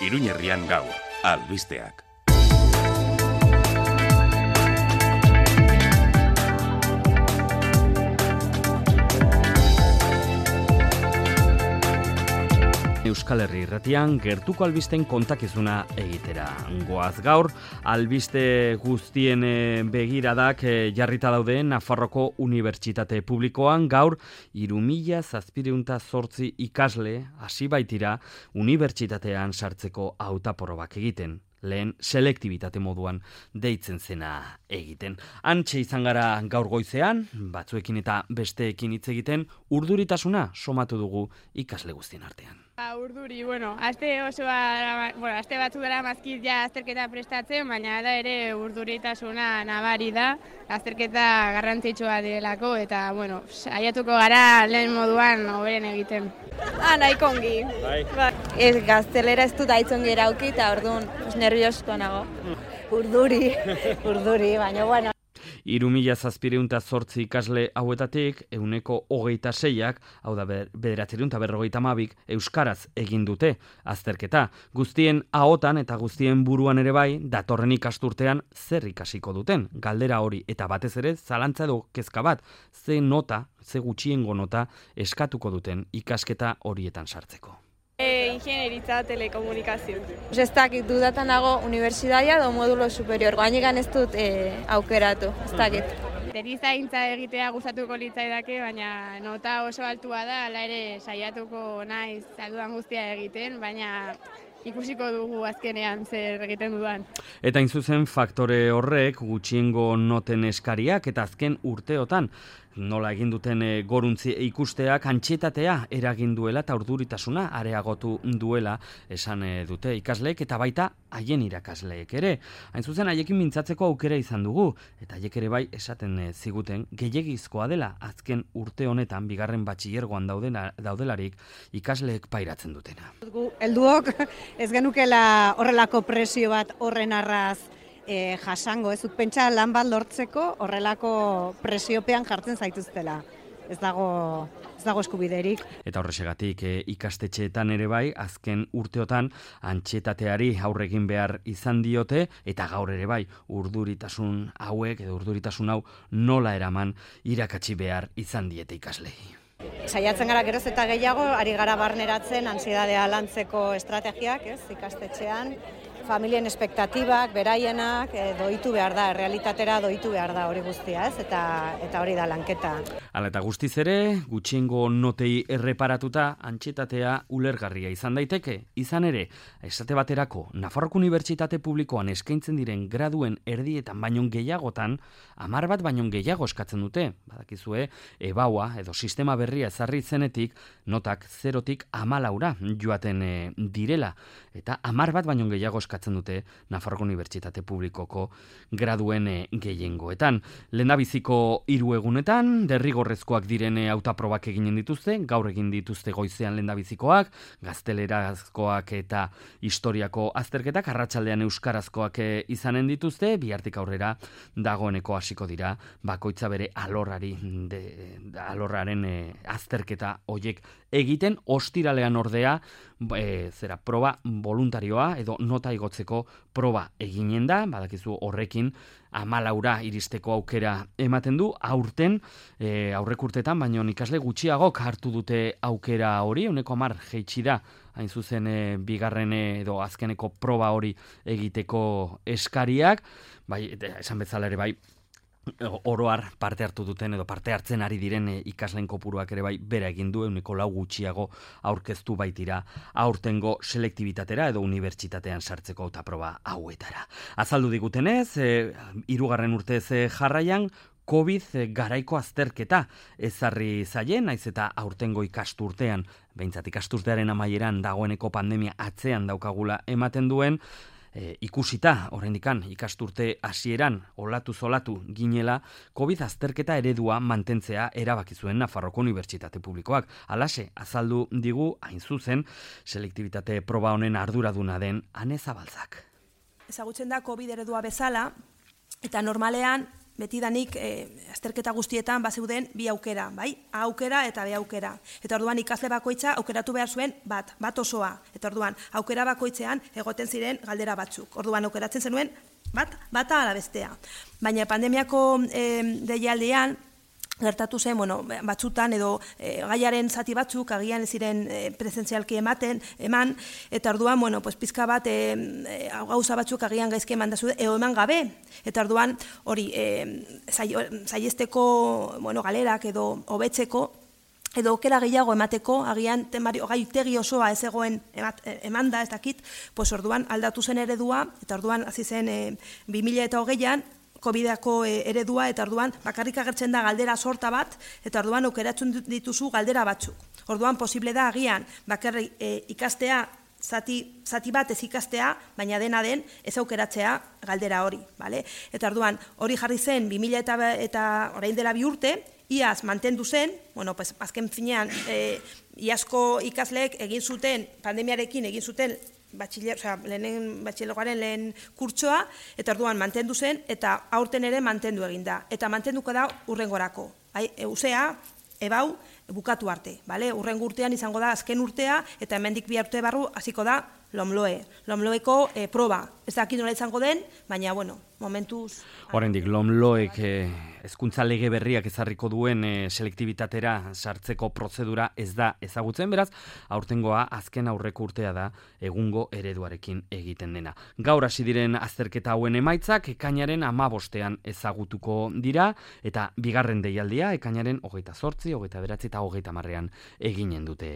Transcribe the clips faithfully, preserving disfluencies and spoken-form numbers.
Iruñerrian gaur, albisteak. Euskal Herri irratian gertuko albisten kontakizuna egitera. Goaz gaur, albiste guztien begiradak jarrita daude Nafarroko Unibertsitate Publikoan gaur hiru mila zazpiehun eta zortzi ikasle hasi baitira unibertsitatean sartzeko hautaprobak egiten. Lehen selektibitate moduan deitzen zena egiten. Hantxe izan gara gaur goizean, batzuekin eta besteekin hitz egiten, urduritasuna somatu dugu ikasle guztien artean. Ba, urduri, bueno, aste osoa, bueno, aste batzuk dara mazkit ja azterketa prestatzen, baina da ere urduritasuna nabari da, azterketa garrantzitsua direlako, eta, bueno, saiatuko gara lehen moduan hoberen egiten. Ah, nahiko ongi. Bai. Ba, ez gaztelera ez dut aitzongi erauki, eta orduan, pues, nerviosko nago. Urduri, urduri, baina, bueno. Hiru mila zazpiehun eta zortzi ikasle hauetatik, ehuneko hogeita seiak, hau da bederatziehun eta berrogeita hamabik, euskaraz egin dute azterketa. Guztien ahotan eta guztien buruan ere bai, datorren ikasturtean zer ikasiko duten. Galdera hori eta batez ere zalantza edo kezka bat, ze nota, ze gutxiengo nota eskatuko duten ikasketa horietan sartzeko. E, ingenieritza telekomunikazio. Ez dakit dudatan dago unibertsitatea edo modulo superior. Gainikan ez dut e, aukeratu, ez dakit. Erizaintza egitea gustatuko litzaidake, baina nota oso altua da, hala ere saiatuko naiz alduan guztia egiten, baina ikusiko dugu azkenean zer egiten dudan. Eta inzuzen faktore horrek gutxiengo noten eskariak eta azken urteotan nola egin duten e, goruntzi ikusteak antsietatea eragin duela eta urduritasuna areagotu duela esan e, dute ikasleek eta baita haien irakasleek ere. Hain zuzen haiekin mintzatzeko aukera izan dugu eta haiek ere bai esaten e, ziguten gehiegizkoa dela azken urte honetan bigarren batxilergoan daudena, daudelarik ikasleek pairatzen dutena. Helduok ez genukela horrelako presio bat horren arraz E, jasango, ez dut pentsa lan bat lortzeko horrelako presiopean jartzen zaituztela. Ez dago, ez dago eskubiderik. Eta horrexegatik e, ikastetxeetan ere bai, azken urteotan antsietateari aurre egin behar izan diote, eta gaur ere bai, urduritasun hauek edo urduritasun hau nola eraman irakatsi behar izan diete ikaslei. Saiatzen gara geroz eta gehiago, ari gara barneratzen antsiedadea lantzeko estrategiak, ez, ikastetxean. Familien espektatibak, beraienak, e, doitu behar da, realitatera doitu behar da hori guztia, ez? Eta, eta hori da lanketa. Hala eta guztiz ere, gutxiengo notei erreparatuta antsietatea ulergarria izan daiteke. Izan ere, esate baterako, Nafarroko Unibertsitate Publikoan eskaintzen diren graduen erdietan baino gehiagotan, hamar bat baino gehiago eskatzen dute. Badakizue, ebaua edo sistema berria ezarri zenetik, notak zerotik hamalaura joaten e, direla. Eta hamar bat baino gehiago eskatzen dute Nafarroko Unibertsitate Publikoko graduen e, gehiengoetan. Lehendabiziko hiru egunetan, derrigorrezkoak diren hautaprobak eginen dituzte, gaur egin dituzte goizean lehendabizikoak, gaztelerazkoak eta historiako azterketak, arratsaldean euskarazkoak e, izanen dituzte, bihartik aurrera dagoeneko hasiko dira, bakoitza bere alorrari, de, de, alorraren e, azterketa hoiek egiten, ostiralean ordea, e, zera, proba voluntarioa edo nota igotzeko proba eginen da, badakizu horrekin hamalaura iristeko aukera ematen du, aurten e, aurrek urtetan, baina ikasle gutxiagok hartu dute aukera hori, ehuneko hamar jaitsi da, hain zuzen e, bigarren edo azkeneko proba hori egiteko eskariak, bai, esan bezala ere bai, oroar parte hartu duten edo parte hartzen ari diren e, ikasleen kopuruak ere bai bera egin du ehuneko lau gutxiago aurkeztu baitira aurtengo selektibitatera edo unibertsitatean sartzeko hautaproba hauetara. Azaldu digutenez, hirugarren e, urtez e, jarraian COVID garaiko azterketa ezarri zaien, naiz eta aurtengo ikasturtean, behintzat ikasturtearen amaieran dagoeneko pandemia atzean daukagula ematen duen, E, ikusita, oraindikan ikasturte hasieran olatu zolatu ginela, COVID azterketa eredua mantentzea erabaki zuen Nafarroko Unibertsitate Publikoak. Halaxe, azaldu digu, hain zuzen, selektibitate proba honen arduraduna den Ane Zabaltzak. Ezagutzen da COVID eredua bezala, eta normalean betidanik e, azterketa guztietan bazeuden bi aukera, bai? A aukera eta B aukera. Eta orduan ikasle bakoitza aukeratu behar zuen bat, bat osoa. Eta orduan aukera bakoitzean egoten ziren galdera batzuk. Orduan aukeratzen zenuen bat, bata ala bestea. Baina pandemiako e, deialdean, gertatu zen, bueno, batzutan edo e, gaiaren zati batzuk agian ez ziren e, presentzialki ematen, eman, eta orduan, bueno, pues pizka bat e, e, gauza batzuk agian gaizki eman dazu, eo eman gabe, eta orduan hori e, saiesteko, bueno, galerak edo hobetzeko, edo okera gehiago emateko, agian temari, gaitegi osoa ez egoen emanda, ez dakit, pues orduan aldatu zen eredua, eta orduan hasi zen e, bi mila eta hogeian, Covidako eredua, eta orduan bakarrik agertzen da galdera sorta bat, eta orduan aukeratzen dituzu galdera batzuk. Orduan posible da agian bakarrik e, ikastea, zati, zati bat ez ikastea, baina dena den ez aukeratzea galdera hori. Vale? Eta orduan hori jarri zen bi mila eta, eta orain dela bi urte, iaz mantendu zen, bueno, pues, azken finean e, iazko ikasleek egin zuten, pandemiarekin egin zuten, Batxiller, o sea, lehenen batxilergoaren lehen kurtsoa, eta orduan mantendu zen, eta aurten ere mantendu egin da. Eta mantenduko da urrengorako. Eusea, ebau, bukatu arte. Vale? Urrengo urtean izango da azken urtea, eta hemendik bi urte barru hasiko da Lomloe. Lomloeko e, proba. Ez dakit nola izango den, baina, bueno, momentuz... Oraindik Lomloek eh, hezkuntza lege berriak ezarriko duen eh, selektibitatera sartzeko prozedura ez da ezagutzen, beraz, aurtengoa azken aurreko urtea da egungo ereduarekin egiten dena. Gaur hasi diren azterketa hauen emaitzak ekainaren hamabostean ezagutuko dira, eta bigarren deialdia ekainaren hogeita zortzi, hogeita beratzi eta hogeita hamarrean eginen dute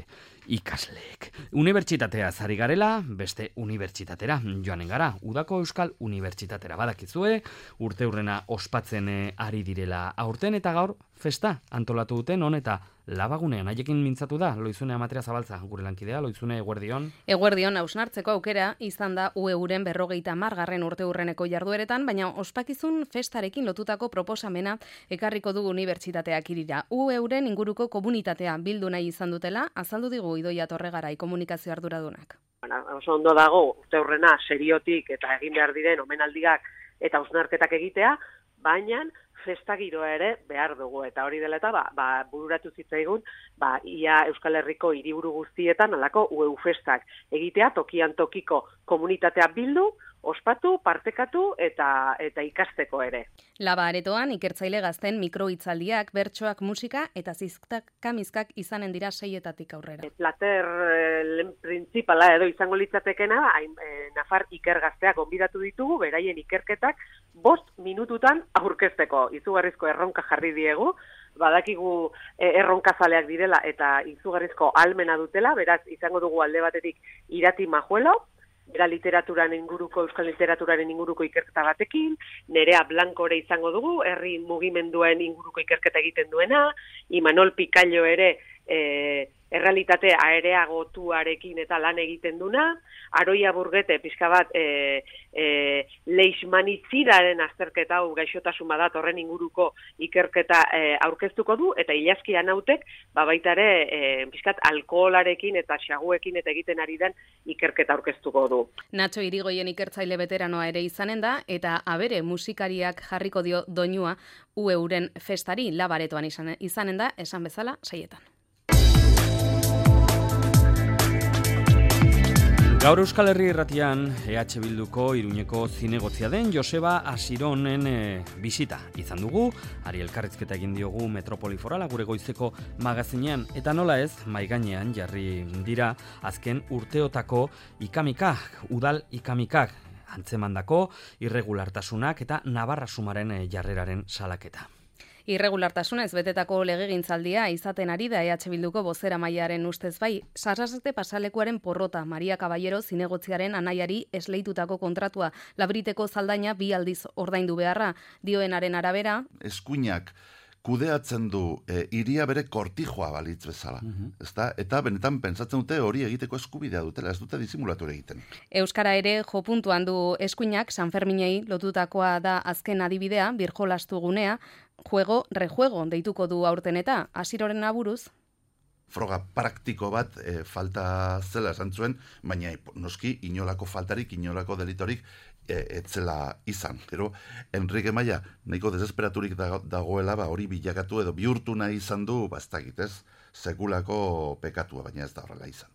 ikasleek. Unibertsitatea zari garela, beste unibertsitatera joanen gara, udako Euskal Unibertsitatera badakizue, urte urrena ospatzen ari direla aurten, eta gaur festa antolatu duten on eta Labagunean. Haiekin mintzatu da Loizune Amatria Zabaltza, gure lankidea. Loizune, eguerdion. Eguerdion, hausnartzeko aukera izan da U E-uren berrogeita hamargarren urte urreneko jardueretan, baina ospakizun festarekin lotutako proposamena ekarriko dugu unibertsitateak irira. U E-uren inguruko komunitatea bildu nahi izan dutela, azaldu digu Idoia Torregarai komunikazio arduradunak. Oso ondo dago urte urrena seriotik eta egin behar diren omenaldiak eta hausnarketak egitea, baina festa giroa ere behar dugu, eta hori dela eta ba, ba, bururatu zitzaigun ba, ia Euskal Herriko hiriburu guztietan alako U E U festak egitea, tokian tokiko komunitatea bildu, ospatu, partekatu eta eta ikasteko ere. Laba aretoan ikertzaile gazten mikrohitzaldiak, bertsoak, musika eta zizkamizkak izanen dira seietatik aurrera. Plater lehen printzipala edo izango litzatekena, e, Nafar ikergazteak gonbidatu ditugu, beraien ikerketak bost minututan aurkezteko. Izugarrizko erronka jarri diegu, badakigu e, erronkazaleak direla eta izugarrizko almena dutela, beraz izango dugu alde batetik Irati Majuelo, bera literaturan inguruko, euskal literaturaren inguruko ikerketa batekin, Nerea Blankore izango dugu, herri mugimenduen inguruko ikerketa egiten duena, Imanol Picaillo ere e, errealitate aereagotuarekin eta lan egiten duna, Aroia Burgete pixka bat e, e, leishmanitzidaren azterketa hau gaixotasun badat horren inguruko ikerketa e, aurkeztuko du, eta Ilazki Anautek ba baita ere e, pixkat alkoholarekin eta xaguekin eta egiten ari den ikerketa aurkeztuko du. Nacho Irigoyen ikertzaile veteranoa ere izanen da, eta abere musikariak jarriko dio doinua U E-uren festari Labaretoan izanen da, esan bezala saietan. Gaur Euskal Herri Irratian E H Bilduko Iruñeko zinegotzia den Joseba Asironen e, bisita izan dugu, ari elkarrizketa egin diogu Metropoli Forala gure goizeko magazinean, eta nola ez, maigainean jarri dira azken urteotako ikamikak, udal ikamikak, antzemandako irregulartasunak eta Navarra Sumaren e, jarreraren salaketa. Irregulartasuna ez betetako legegintzaldia izaten ari da E H Bilduko bozera maiaren ustez bai, Sarasate pasalekuaren porrota Maria Caballero zinegotziaren anaiari esleitutako kontratua labriteko zaldaina bi aldiz ordaindu beharra, dioenaren arabera. Eskuinak kudeatzen du e, iria bere kortijoa balitz bezala. Uh-huh. Ezta? Eta benetan pentsatzen dute hori egiteko eskubidea dutela, ez dute disimulatu egiten. Euskara ere jo puntuan du eskuinak, San Ferminei lotutakoa da azken adibidea, birjolastu gunea, juego, rejuego deituko du aurten eta Asiroren aburuz. Froga praktiko bat e, falta zela esan zuen, baina noski inolako faltarik, inolako delitorik etzela izan. Gero, Enrique Maia nahiko desesperaturik dagoela, ba, hori bilakatu edo bihurtu nahi izan du, ba, ez dakit ez, sekulako pekatua, baina ez da horrela izan.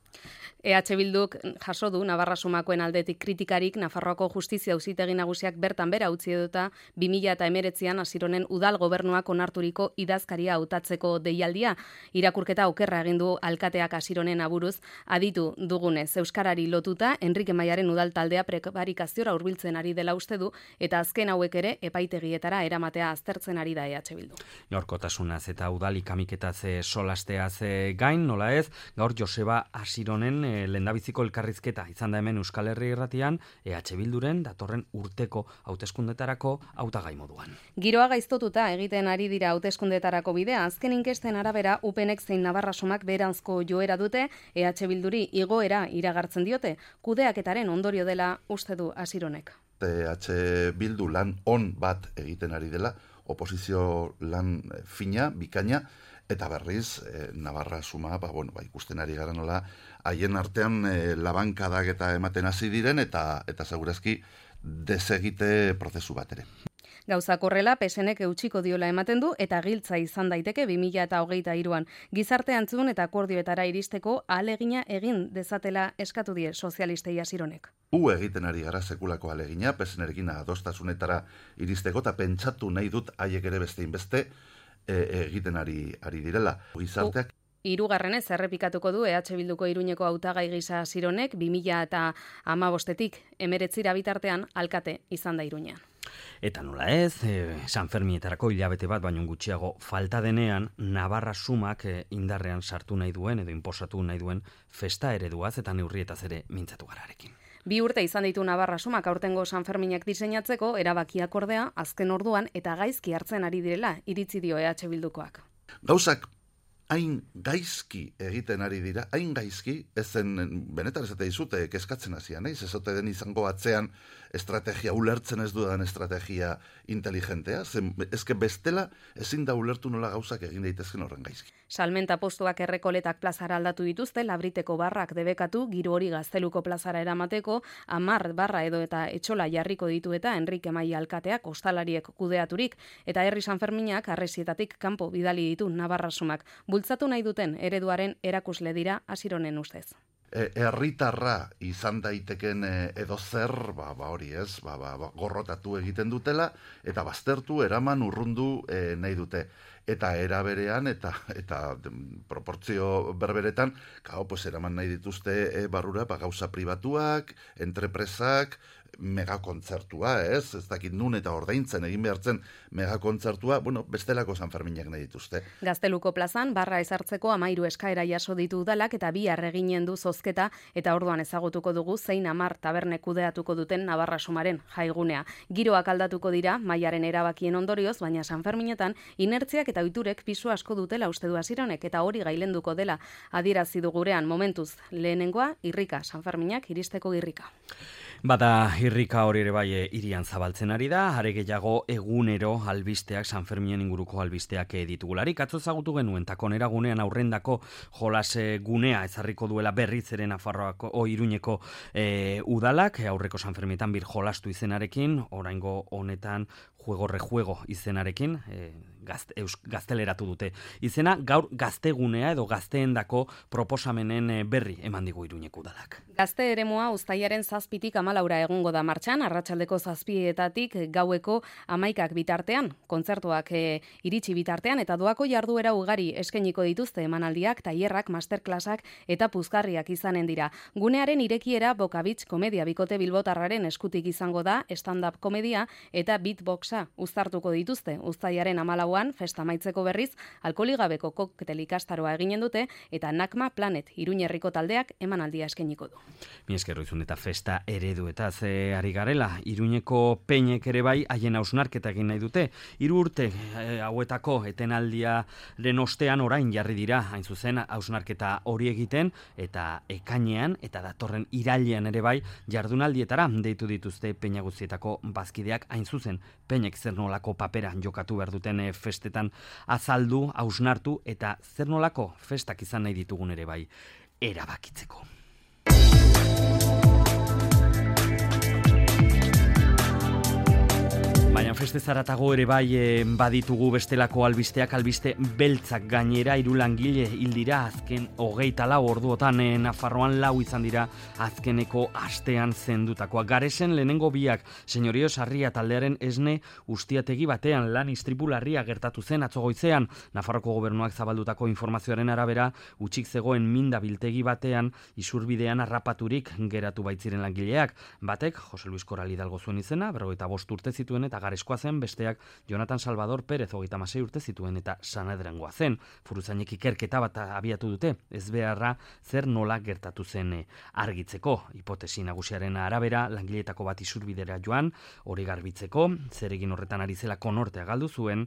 E H Bilduk jaso du Navarra Sumakoen aldetik kritikarik Nafarroako Justizia Auzitegi Nagusiak bertan bera utzi edota bi mila hemeretzian Asironen udal gobernuak onarturiko idazkaria hautatzeko deialdia. Irakurketa okerra egin du alkateak Asironen aburuz, aditu dugunez euskarari lotuta Enrique Maiaren udal taldea prekarikaziora hurbiltzen ari dela uste du eta azken hauek ere epaitegietara eramatea aztertzen ari da E H Bildu. Gaurkotasunaz eta udalik amiketaz solasteaz gain, nola ez, gaur Joseba Asironen lehendabiziko elkarrizketa izan da hemen Euskal Herri Irratian E H Bilduren datorren urteko hauteskundetarako hautagai moduan. Giroa gaiztotuta egiten ari dira hauteskundetarako bidea, azken inkesten arabera Upenek zein Navarra Sumak beheranzko joera dute, E H Bilduri igoera iragartzen diote, kudeaketaren ondorio dela uste du Asironek. E H Bildu lan on bat egiten ari dela, oposizio lan fina, bikaina, eta berriz, eh, Navarra Suma, ba, bueno, ba, ikusten ari gara nola, haien artean eh, labankadak eta ematen hasi diren, eta eta segurazki desegite prozesu bat ere. Gauzak horrela, P S Nek eutxiko diola ematen du, eta giltza izan daiteke bi mila hogeita hiruan. Gizarte antzun eta akordioetara iristeko ahalegina egin dezatela eskatu die sozialistei Asironek. U egiten ari gara sekulako ahalegina, P S Nerekin adostasunetara iristeko, eta pentsatu nahi dut haiek ere beste inbeste, egiten ari ari direla. Gizarteak Hirugarrenez errepikatuko du E H Bilduko Iruñeko hautagai gisa Asironek bi mila hamabostetik hemeretzira bitartean alkate izan da Iruñean. Eta nola ez, e, San Fermietarako hilabete bat baino gutxiago falta denean Navarra Sumak e, indarrean sartu nahi duen edo inposatu nahi duen festa ereduaz eta neurrietaz ere mintzatu gararekin. Bi urte izan ditu Navarra Sumak aurtengo San Ferminak diseinatzeko, erabakiak ordea azken orduan eta gaizki hartzen ari direla iritzi dio E H Bildukoak. Gauzak hain gaizki egiten ari dira, hain gaizki, ezen benetan esate dizute kezkatzen hasian, naiz, ez ote den izango atzean estrategia, ulertzen ez dudan estrategia inteligentea, zen, ezke bestela ezin da ulertu nola gauzak egin daitezken horren gaizki. Salmenta postuak Errekoletak plazara aldatu dituzte, Labriteko barrak debekatu, Giro hori Gazteluko plazara eramateko, Amar barra edo eta Etxola jarriko ditu eta Enrique Maia alkateak ostalariek kudeaturik, eta Herri San Ferminak arresietatik kanpo bidali ditu Navarra Sumak. Bultzatu nahi duten ereduaren erakusle dira Asironen ustez. Herritarra e, izan daiteken edo zer, ba, ba hori ez, ba, ba, ba, gorrotatu egiten dutela, eta baztertu, eraman, urrundu e, nahi dute. Eta era berean, eta, eta proportzio berberetan, kao, pues, eraman nahi dituzte e, barrura, ba, gauza pribatuak, entrepresak, megakontzertua, ez? Ez dakit nun eta ordaintzen egin behartzen megakontzertua, bueno, bestelako San Ferminak nahi dituzte. Gazteluko plazan, barra ezartzeko amairu eskaera jaso ditu udalak eta bihar eginen du zozketa eta orduan ezagutuko dugu zein Amar taberne kudeatuko duten Navarra Sumaren jaigunea. Giroak aldatuko dira, Maiaren erabakien ondorioz, baina San Ferminetan inertziak eta ohiturek pisu asko dutela uste du Asironek eta hori gailenduko dela adierazi du gurean momentuz. Lehenengoa, irrika, San Ferminak iristeko irrika. Bada irrika hori ere bai hirian zabaltzen ari da, are gehiago egunero albisteak, San Ferminen inguruko albisteak ditugularik. Atzo ezagutu genuen takonera gunean aurrendako jolas gunea ezarriko duela berriz ere Nafarroako o Iruñeko e, udalak, aurreko San Fermietan bir jolastu izenarekin, oraingo honetan juego rejuego izenarekin, e, gazte, eus, gazteleratu dute. Izena gaur gaztegunea edo gazteendako proposamenen berri eman digu Iruñeko udalak. Gazte eremua uztailaren zazpitik amalaura egungo da martxan, arratsaldeko zazpietatik gaueko amaikak bitartean, kontzertuak e, iritsi bitartean, eta doako jarduera ugari eskainiko dituzte emanaldiak, tailerrak, masterklasak eta puzgarriak izanen dira. Gunearen irekiera Bokabitz komedia bikote bilbotarraren eskutik izango da, stand-up komedia eta beatboxa uztartuko dituzte. Uztailaren amalauan, festa amaitzeko berriz, alkoholigabeko koktel ikastaroa eginen dute, eta Nakma Planet Iruñerriko taldeak emanaldia eskainiko du. Mi esker izun eta festa ereduetaz e, ari garela. Iruñeko peinek ere bai haien hausnarketa egin nahi dute. Hiru urte e, hauetako etenaldiaren ostean orain jarri dira, hain zuzen hausnarketa hori egiten, eta ekainean eta datorren irailean ere bai jardunaldietara deitu dituzte peina guztietako bazkideak, hain zuzen peinek zer nolako papera jokatu behar duten e, festetan azaldu, hausnartu eta zer nolako festak izan nahi ditugun ere bai erabakitzeko. horrez zaratago ere bai e, baditugu bestelako albisteak, albiste beltzak gainera, hiru langile hil dira azken hogeita lau orduotan e, Nafarroan lau izan dira azkeneko astean zendutakoa. Garesen lehenengo biak, Senyorio Sarria taldearen esne ustiategi batean lan istripu larria gertatu zen atzo goizean. Nafarroko gobernuak zabaldutako informazioaren arabera, utzik zegoen minda biltegi batean isurbidean harrapaturik geratu baitziren langileak. Batek, Jose Luis Koral Hidalgo zuen izena, berrogeita bost urte zituen eta Gareskoa zen, besteak Jonathan Salvador Pérez hogeita hamasei urte zituen eta Sanedrengoa zen. Furuzainek ikerketa bat abiatu dute, ez beharra zer nola gertatu zen argitzeko. Hipotesi nagusiaren arabera, langileetako bat isurbidera joan, hori garbitzeko, zeregin horretan ari zela konortea galdu zuen,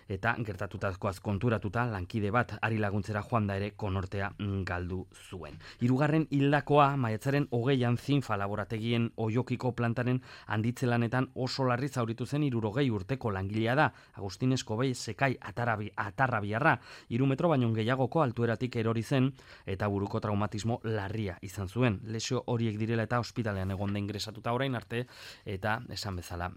eta gertatutakoaz konturatuta lankide bat ari laguntzera joan da ere konortea galdu zuen. Hirugarren hildakoa maiatzaren hogeian Zinfa laborategien Oiokiko plantaren handitzelanetan oso larri zauritu zen hirurogei urteko langilea da. Agustin Eskobei Sekai atarabi, atarrabiarra, hiru metro baino gehiagoko altueratik erori zen eta buruko traumatismo larria izan zuen. Lesio horiek direla eta ospitalean egon da ingresatuta orain arte eta esan bezala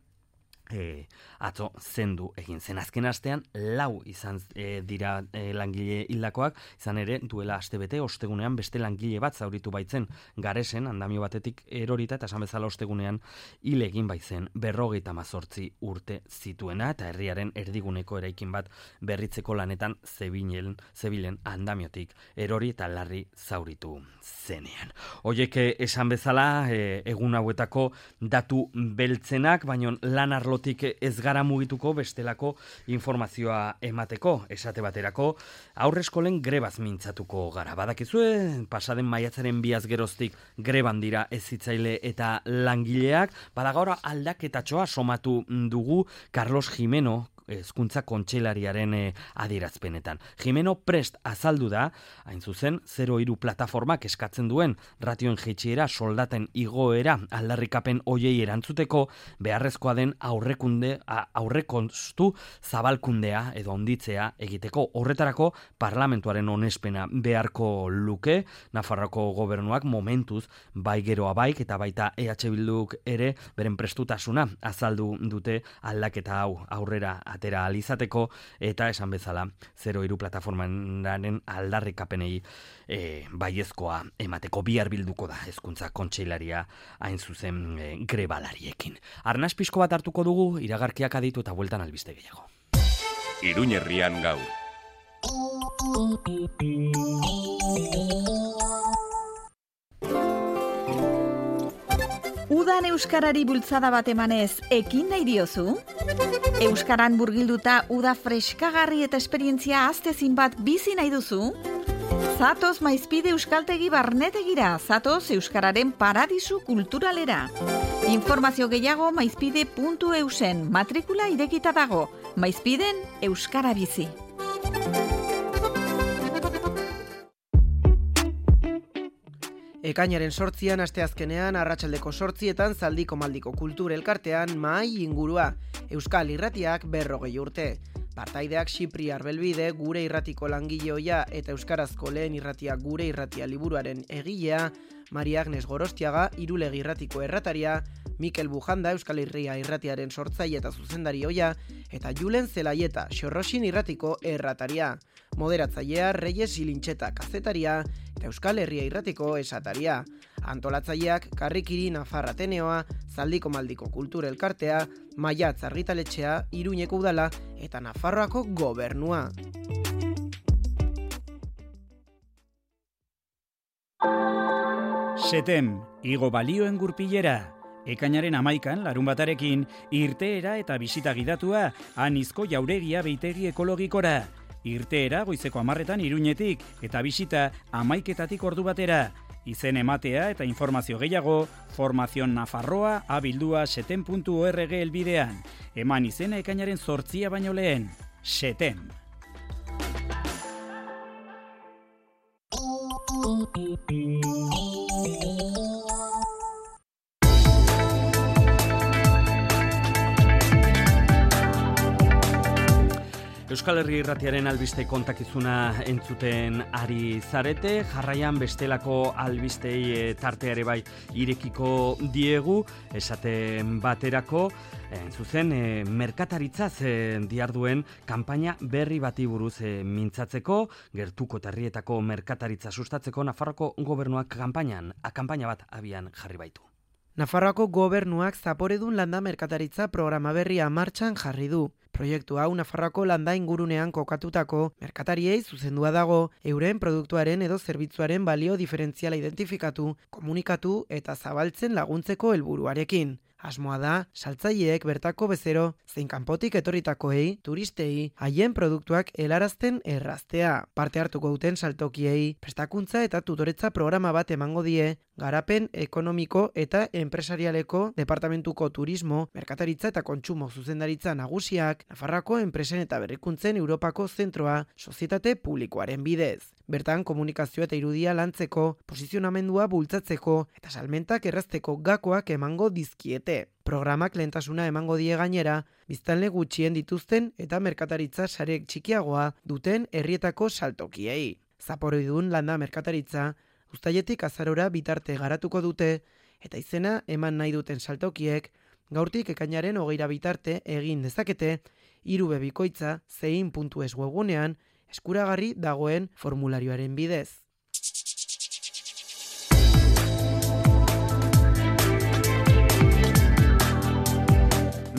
E, atzo zendu egin zen. Azken astean lau izan e, dira e, langile hildakoak, izan ere duela astebete ostegunean beste langile bat zauritu baitzen Garesen, andamio batetik erorita eta esan bezala ostegunean hil egin baitzen berrogeita hamazortzi urte zituena eta herriaren erdiguneko eraikin bat berritzeko lanetan zebilen, zebilen andamiotik erori eta larri zauritu zenean. Hoiek esan bezala e, egun hauetako datu beltzenak, baino lan arlo ez gara mugituko bestelako informazioa emateko, esate baterako aurreskolen grebaz mintzatuko gara. Badakizue, pasaden maiatzaren biaz geroztik greban dira hezitzaile eta langileak, badagora aldaketatxoa somatu dugu Carlos Jimeno, hezkuntza kontseilariaren eh, adierazpenetan. Jimeno prest azaldu da, hain zuzen, zero hiru plataformak eskatzen duen ratioen jaitsiera, soldaten igoera, aldarrikapen hoiei erantzuteko, beharrezkoa den aurrekunde, aurrekonstu zabalkundea edo onditzea egiteko. Horretarako parlamentuaren onespena beharko luke, Nafarroko gobernuak momentuz bai geroa baik eta baita E H Bilduk ere beren prestutasuna azaldu dute aldaketa hau aurrera atera alizateko eta esan bezala zero hiru plataformaren aldarrikapenei e, baiezkoa emateko. Bihar bilduko da hezkuntza kontseilaria hain zuzen e, grebalariekin. Arnas pixko bat hartuko dugu, iragarkiak aditu eta bueltan albiste gehiago. Iruñerrian gaur. Udan euskarari bultzada bat emanez, ekin nahi diozu? Euskaran burgilduta uda freskagarri eta esperientzia aztezin bat bizi nahi duzu? Zatoz Maizpide Euskaltegi Barnetegira, zatoz Euskararen paradisu kulturalera. Informazio gehiago maizpide puntu eusen, matrikula irekita dago, Maizpiden Euskara bizi. Ekainaren sortzian, asteazkenean, arratsaldeko sortzietan Zaldiko Maldiko Kultur Elkartean mahai ingurua, Euskal Irratiak berrogei urte. Partaideak Xipri Arbelbide, Gure Irratiko langileoia eta Euskarazko lehen irratia Gure Irratia liburuaren egilea, Maria Agnes Gorostiaga, Irulegi Irratiko errataria, Mikel Bujanda, Euskal Herria Irratiaren sortzaile eta zuzendari ohia, eta Julen Zelaieta, Xorroxin Irratiko errataria. Moderatzailea Reyes Ilintxeta kazetaria eta Euskal Herria Irratiko esataria. Antolatzaileak Karrikiri Nafar Ateneoa, Zaldiko Maldiko Kultur Elkartea, Maiatz Argitaletxea, Iruñeko Udala eta Nafarroako Gobernua. Setem, igo balioen gurpilera. Ekainaren amaikan, larun batarekin, irteera eta bisita gidatua, anizko jauregia beitegi ekologikora. Irteera goizeko amarretan Iruñetik eta bisita amaiketatik ordu batera. Izen ematea eta informazio gehiago, Formazion Nafarroa abildua setem puntu org elbidean. Eman izena ekainaren zortzia baino lehen. Setem. Euskal Herri Irratiaren albiste kontakizuna entzuten ari zarete, jarraian bestelako albistei tarteare bai irekiko diegu, esaten baterako, en zuzen, e, merkataritzaz e, diarduen kanpaina berri bati buruz e, mintzatzeko, gertuko eta herrietako merkataritza sustatzeko Nafarroako gobernuak kanpainan, a kanpaina bat abian jarri baitu. Nafarroako gobernuak zaporedun landa merkataritza programa berria martxan jarri du. Proiektu hau Nafarroako landa ingurunean kokatutako merkatariei zuzendua dago, euren produktuaren edo zerbitzuaren balio diferentziala identifikatu, komunikatu eta zabaltzen laguntzeko helburuarekin. Asmoa da, saltzaileek bertako bezero, zein kanpotik etorritakoei, turistei, haien produktuak helarazten erraztea. Parte hartuko duten saltokiei, prestakuntza eta tutoretza programa bat emango die, garapen ekonomiko eta enpresarialeko departamentuko turismo, merkataritza eta kontsumo zuzendaritza nagusiak, Nafarroako enpresen eta berrikuntzen Europako zentroa, sozietate publikoaren bidez. Bertan komunikazio eta irudia lantzeko, posizionamendua bultzatzeko eta salmentak errazteko gakoak emango dizkiete. Programak lehentasuna emango die gainera, biztanle gutxien dituzten eta merkataritza sarek txikiagoa duten herrietako saltokiei. Zaporedun landa merkataritza, uztailetik azarora bitarte garatuko dute eta izena eman nahi duten saltokiek, gaurtik ekainaren hogeira bitarte egin dezakete, hiru bikoitza zein puntu es webgunean eskuragarri dagoen formularioaren bidez.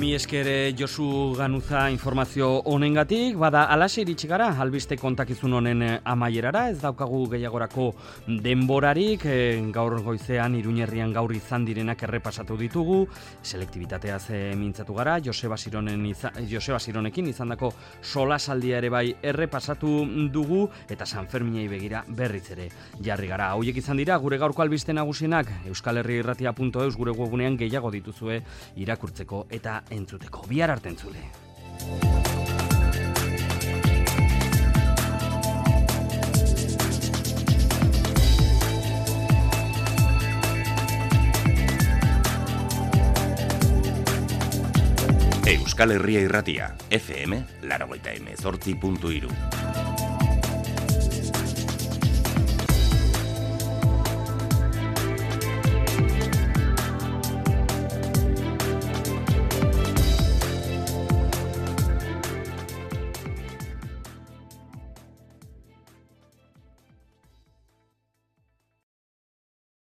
Mi esker Josu Ganuza informazio honengatik, bada alaxe iritsi gara albiste kontakizun honen amaierara, ez daukagu gehiagorako denborarik, e, gaur goizean Iruñerrian gaur izan direnak errepasatu ditugu, selektibitateaz e, mintzatu gara, Joseba Sironen iza, Joseba Sironekin izandako solasaldia ere bai errepasatu dugu, eta San Ferminei begira berriz ere jarri gara. Hauek izan dira gure gaurko albiste nagusienak, euskal herri irratia puntu eus gure webunean gehiago dituzue irakurtzeko eta entzuteko. Bihar arte entzule. Euskal Herria Irratia, F M, laurogeita hemezortzi puntu hiru.